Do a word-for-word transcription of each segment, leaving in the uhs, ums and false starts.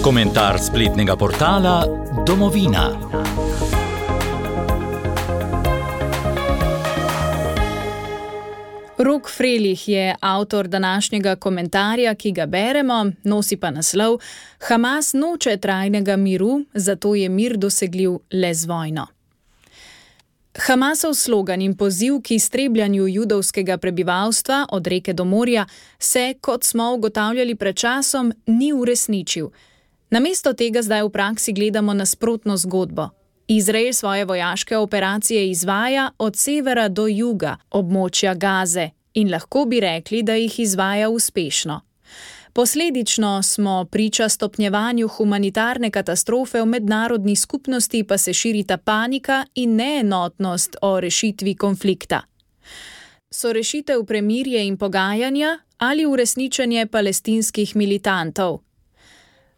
Komentar spletnega portala Domovina. Rok Frelih je avtor današnjega komentarja, ki ga beremo, nosi pa naslov Hamas noče trajnega miru, zato je mir dosegljiv le z vojno. Hamasov slogan in poziv k iztrebljanju judovskega prebivalstva od reke do morja se, kot smo ugotavljali pred časom, ni uresničil. Namesto tega zdaj v praksi gledamo nasprotno zgodbo. Izrael svoje vojaške operacije izvaja od severa do juga območja Gaze in lahko bi rekli, da jih izvaja uspešno. Posledično smo priča stopnjevanju humanitarne katastrofe, v mednarodni skupnosti pa se širita panika in neenotnost o rešitvi konflikta. So rešitev premirje in pogajanja ali uresničenje palestinskih militantov?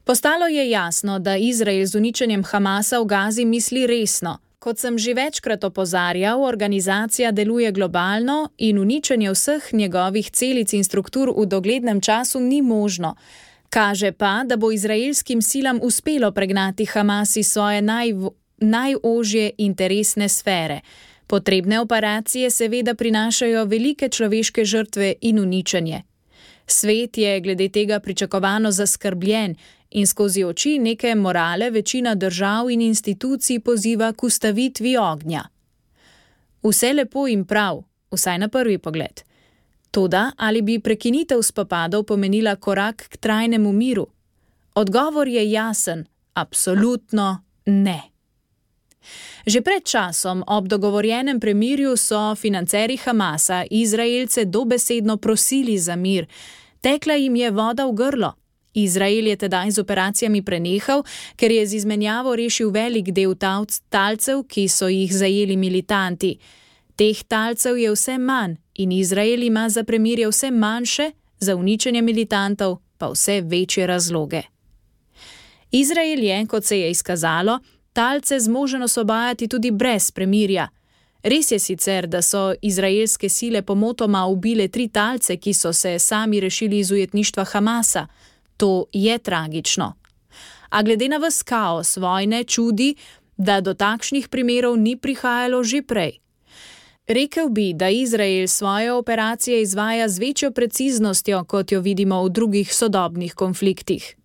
Postalo je jasno, da Izrael z uničenjem Hamasa v Gazi misli resno. Kot sem že večkrat opozarjal, organizacija deluje globalno in uničenje vseh njegovih celic in struktur v doglednem času ni možno. Kaže pa, da bo izraelskim silam uspelo pregnati Hamas iz svoje naj, najožje interesne sfere. Potrebne operacije seveda prinašajo velike človeške žrtve in uničenje. Svet je glede tega pričakovano zaskrbljen in skozi oči neke morale večina držav in institucij poziva k ustavitvi ognja. Vse lepo in prav, vsaj na prvi pogled. Toda, ali bi prekinitev spopadov pomenila korak k trajnemu miru? Odgovor je jasen, absolutno ne. Že pred časom ob dogovorjenem premirju so financerji Hamasa Izraelce dobesedno prosili za mir. Tekla jim je voda v grlo. Izrael je tedaj z operacijami prenehal, ker je z izmenjavo rešil velik del talcev, ki so jih zajeli militanti. Teh talcev je vse manj in Izrael ima za premirje vse manjše, za uničenje militantov pa vse večje razloge. Izrael je, kot se je izkazalo, talce zmožen osvobajati tudi brez premirja. Res je sicer, da so izraelske sile pomotoma ubile tri talce, ki so se sami rešili iz ujetništva Hamasa. To je tragično. A glede na ves kaos vojne čudi, da do takšnih primerov ni prihajalo že prej. Rekel bi, da Izrael svoje operacije izvaja z večjo preciznostjo, kot jo vidimo v drugih sodobnih konfliktih.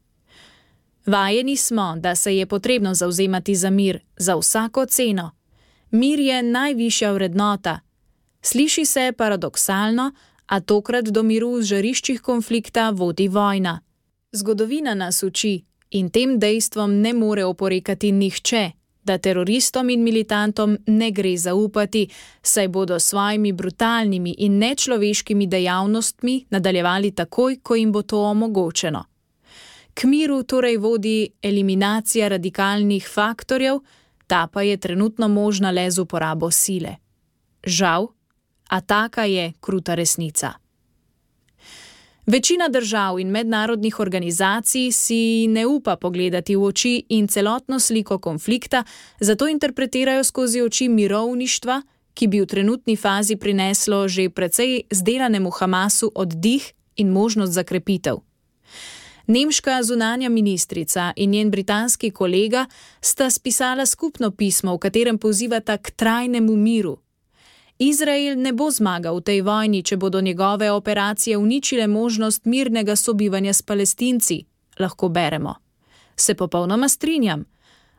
Vajeni smo, da se je potrebno zavzemati za mir, za vsako ceno. Mir je najvišja vrednota. Sliši se paradoksalno, a tokrat do miru v žariščih konflikta vodi vojna. Zgodovina nas uči in tem dejstvom ne more oporekati nihče, da teroristom in militantom ne gre zaupati, saj bodo svojimi brutalnimi in nečloveškimi dejavnostmi nadaljevali takoj, ko jim bo to omogočeno. K miru torej vodi eliminacija radikalnih faktorjev, ta pa je trenutno možna le z uporabo sile. Žal, a taka je kruta resnica. Večina držav in mednarodnih organizacij si ne upa pogledati v oči in celotno sliko konflikta, zato interpretirajo skozi oči mirovništva, ki bi v trenutni fazi prineslo že precej zdelanemu Hamasu oddih in možnost za krepitev. Nemška zunanja ministrica in njen britanski kolega sta spisala skupno pismo, v katerem pozivata k trajnemu miru. Izrael ne bo zmagal v tej vojni, če bodo njegove operacije uničile možnost mirnega sobivanja s Palestinci, lahko beremo. Se popolnoma strinjam,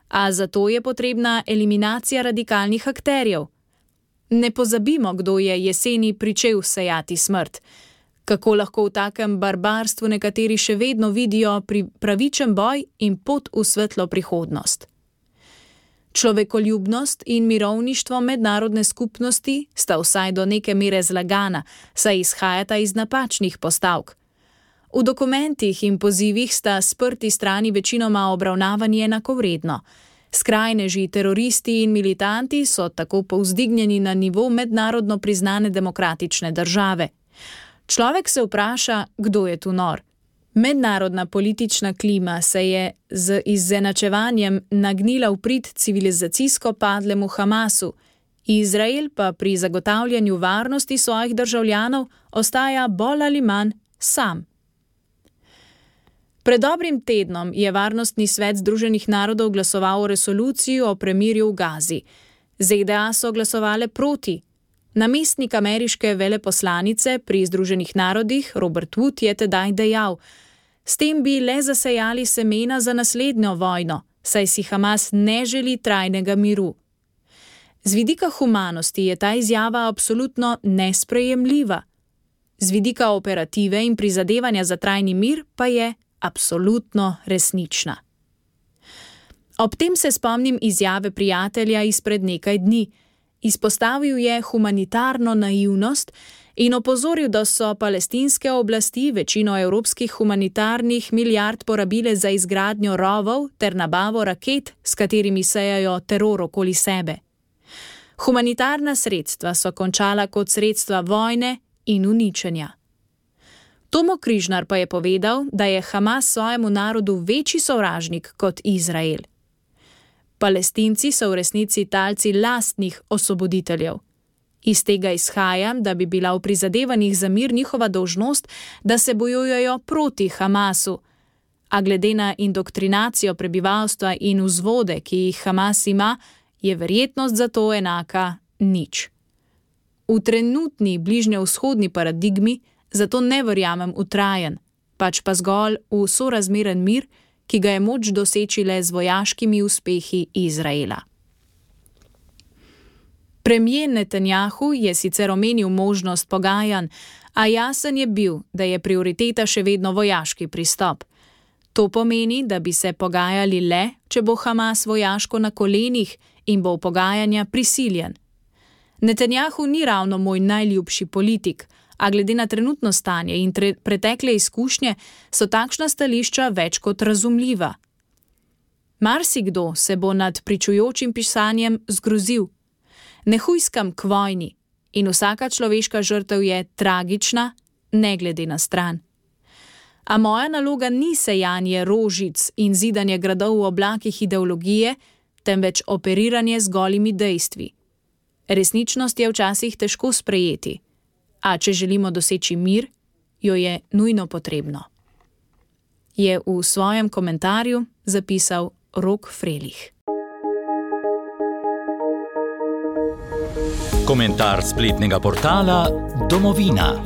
a zato je potrebna eliminacija radikalnih akterjev. Ne pozabimo, kdo je jeseni pričel sejati smrt. Kako lahko v takem barbarstvu nekateri še vedno vidijo pravičen boj in pot v svetlo prihodnost. Človekoljubnost in mirovništvo mednarodne skupnosti sta vsaj do neke mere zlagana, saj izhajata iz napačnih postavk. V dokumentih in pozivih sta sprti strani večinoma obravnavani enakovredno. Skrajneži, teroristi in militanti so tako povzdignjeni na nivo mednarodno priznane demokratične države. Človek se vpraša, kdo je tu nor. Mednarodna politična klima se je z izenačevanjem nagnila v prid civilizacijsko padlemu Hamasu, Izrael pa pri zagotavljanju varnosti svojih državljanov ostaja bolj ali manj sam. Pred dobrim tednom je Varnostni svet Združenih narodov glasoval o resoluciji o premirju v Gazi. Z D A so glasovale proti. Namestnik ameriške veleposlanice pri Združenih narodih Robert Wood je tedaj dejal: s tem bi le zasejali semena za naslednjo vojno, saj si Hamas ne želi trajnega miru. Z vidika humanosti je ta izjava absolutno nesprejemljiva. Z vidika operative in prizadevanja za trajni mir pa je absolutno resnična. Ob tem se spomnim izjave prijatelja izpred nekaj dni. Izpostavil je humanitarno naivnost in opozoril, da so palestinske oblasti večino evropskih humanitarnih milijard porabile za izgradnjo rovov ter nabavo raket, s katerimi sejajo teror okoli sebe. Humanitarna sredstva so končala kot sredstva vojne in uničenja. Tomo Križnar pa je povedal, da je Hamas svojemu narodu večji sovražnik kot Izrael. Palestinci so v resnici talci lastnih osvoboditeljev. Iz tega izhaja, da bi bila v prizadevanjih za mir njihova dolžnost, da se bojujejo proti Hamasu. A glede na indoktrinacijo prebivalstva in vzvode, ki jih Hamas ima, je verjetnost za to enaka nič. V trenutni bližnjevzhodni paradigmi zato ne verjamem v trajen, pač pa zgolj v sorazmeren mir, ki ga je moč doseči le z vojaškimi uspehi Izraela. Premier Netanjahu je sicer omenil možnost pogajanj, a jasen je bil, da je prioriteta še vedno vojaški pristop. To pomeni, da bi se pogajali le, če bo Hamas vojaško na kolenih in bo v pogajanja prisiljen. Netanjahu ni ravno moj najljubši politik, a glede na trenutno stanje in tre- pretekle izkušnje so takšna stališča več kot razumljiva. Marsikdo se bo nad pričujočim pisanjem zgrozil. Ne hujskam k vojni in vsaka človeška žrtev je tragična, ne glede na stran. A moja naloga ni sejanje rožic in zidanje gradov v oblakih ideologije, temveč operiranje z golimi dejstvi. Resničnost je včasih težko sprejeti, a če želimo doseči mir, jo je nujno potrebno. Je v svojem komentarju zapisal Rok Frelih. Komentar spletnega portala Domovina.